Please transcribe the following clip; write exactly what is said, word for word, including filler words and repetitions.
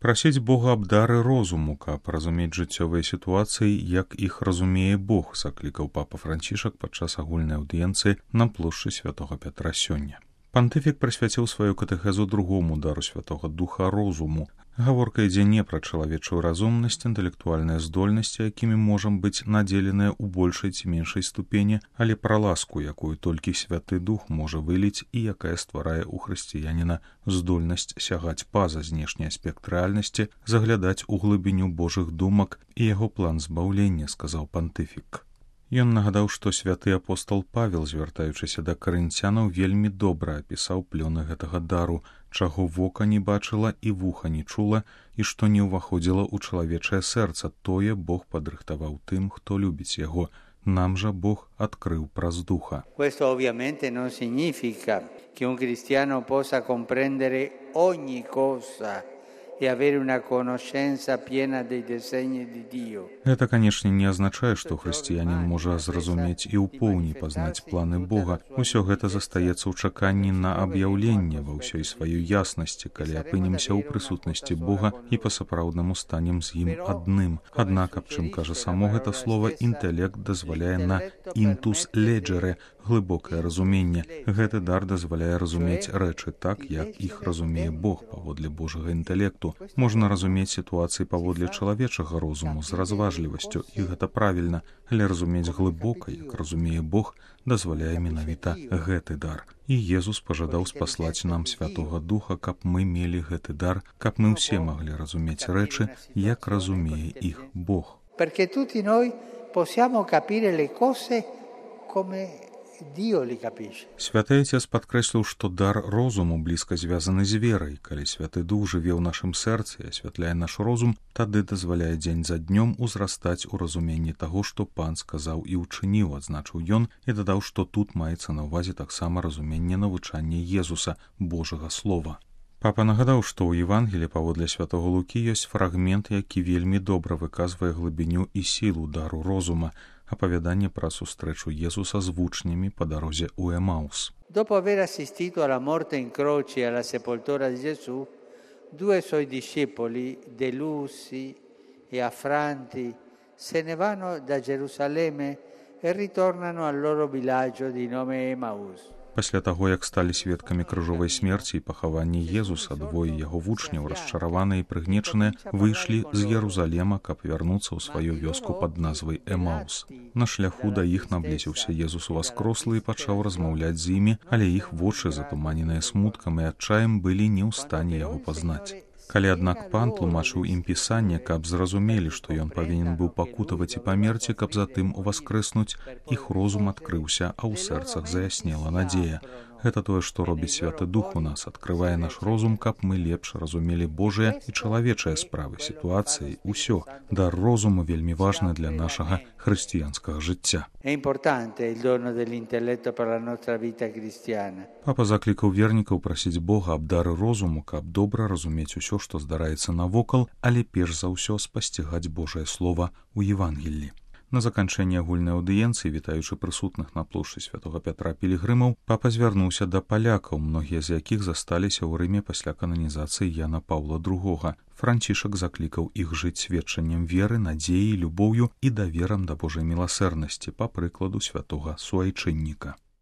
Прасіць Бога аб дары розуму, каб разумець жыццёвыя сітуацыі, як іх разумее Бог, заклікаў папа Францішак падчас агульнай аўдыенцыі на плошчы святога Пятра сёння. Пантыфік прысвяціў сваю катэхезу другому дару святога духа розуму. Гаворка ідзе не пра чалавечую разумнасць, інтэлектуальныя здольнасці, якімі можам быць надзеленыя ў большай ці меншай ступені, але пра ласку, якую толькі святы дух можа выліць і якая стварае ў хрысціяніна здольнасць сягаць па-за знешні аспект рэальнасці, заглядаць у глыбіню Божых думак і яго план збаўлення, сказаў пантыфік. Ён нагадаў, што святы апостол Павел, звяртаючыся да карынцянаў, вельмі добра апісаў плёны гэтага дару, чаго вока не бачыла і вуха не чула, і што не ўваходзіла ў чалавечае сэрца, тое Бог падрыхтаваў тым, хто любіць яго. Нам жа Бог адкрыў праз духа. Questo ovviamente non significa che un cristiano possa comprendere ogni cosa e avere una conoscenza piena dei disegni di Dio. Гэта, канешне, не азначае, што хрысціянін можа зразумець і ў поўні пазнаць планы Бога. Усё гэта застаецца ў чаканні на аб'яўленне ва ўсёй сваёй яснасці, калі апынемся ў прысутнасці Бога і па-сапраўднаму станем з ім адным. Аднак, аб чым кажа само гэта слова, інтэлект дазваляе на інтус леджере, глыбокае разуменне. Гэты дар дазваляе разумець рэчы так, як іх разумее Бог паводле Божага інтэлекту. Можна разумець сітуацыі паводле чалавечага розуму з разважлівасцю, і гэта правільна, але разумець глыбока, як разумее Бог, дазваляе менавіта гэты дар. І Езус пажадаў спаслаць нам Святога Духа, каб мы мелі гэты дар, каб мы ўсе маглі разумець рэчы, як разумее іх Бог. Perché tutti noi possiamo capire le cose come Dio li capisce. Святы Отец падкрэсліў, што дар розуму блізка звязаны з верай. Калі Святы Дух жыве ў нашым сэрцы і асвятляе наш розум, тады дазваляе дзень за днём узрастаць у разуменні таго, што Пан сказаў і ўчыніў, адзначыў ён, і дадаў, што тут маецца на ўвазе таксама разуменне навучання Езуса, Божага Слова. Папа нагадаў, што ў Евангелі паводле святого Лукі ёсць фрагмент, які вельмі добра выказвае глыбіню і сілу дару розума, апавяданне пра сустрэчу Езуса з вучнямі па дарозе ў Емаус. Dopo aver assistito alla morte in croce e alla sepoltura di Gesù, due suoi discepoli, delusi e affranti, se ne vanno da Gerusalemme e ritornano al loro villaggio di nome Emaus. Пасля таго, як сталі сведкамі крыжовай смерці і пахавання Езуса, двое яго вучняў, расчараваныя і прыгнечаныя, выйшлі з Єрусалема, каб вярнуцца ў сваю вёску пад назвай Емаус. На шляху да іх наблізіўся Езус уваскрослы і пачаў размаўляць з імі, але іх вочы, затуманеныя смуткам і адчаем, былі не ў стане яго пазнаць. Калі, аднак, Пан тлумачыў ім пісанне, каб зразумелі, што ён павінен быў пакутаваць і памерці, каб затым уваскрэснуць, іх розум адкрыўся, а ў сэрцах заяснела надзея. Гэта тое, што робіць Святы Дух у нас, адкрывае наш розум, каб мы лепш разумелі Божыя і чалавечыя справы, сітуацыі, усё. Дар розуму вельмі важны для нашага хрысціянскага жыцця. Папа заклікаў вернікаў прасіць Бога аб дары розуму, каб добра разумець усё, што здараецца навокал, але перш за ўсё спасцігаць Божае Слова ў Евангеллі. На заканчэнне агульнай аўдыенцыі, вітаючы прысутных на плошчы святога Пятра пілігрымаў, папа звярнуўся да палякаў, многія з якіх засталіся ў Рыме пасля кананізацыі Яна Паўла другога. Францішак заклікаў іх жыць сведчаннем веры, надзеі, любоўю і даверам да Божай міласэрнасці, па прыкладу святога суайчынніка.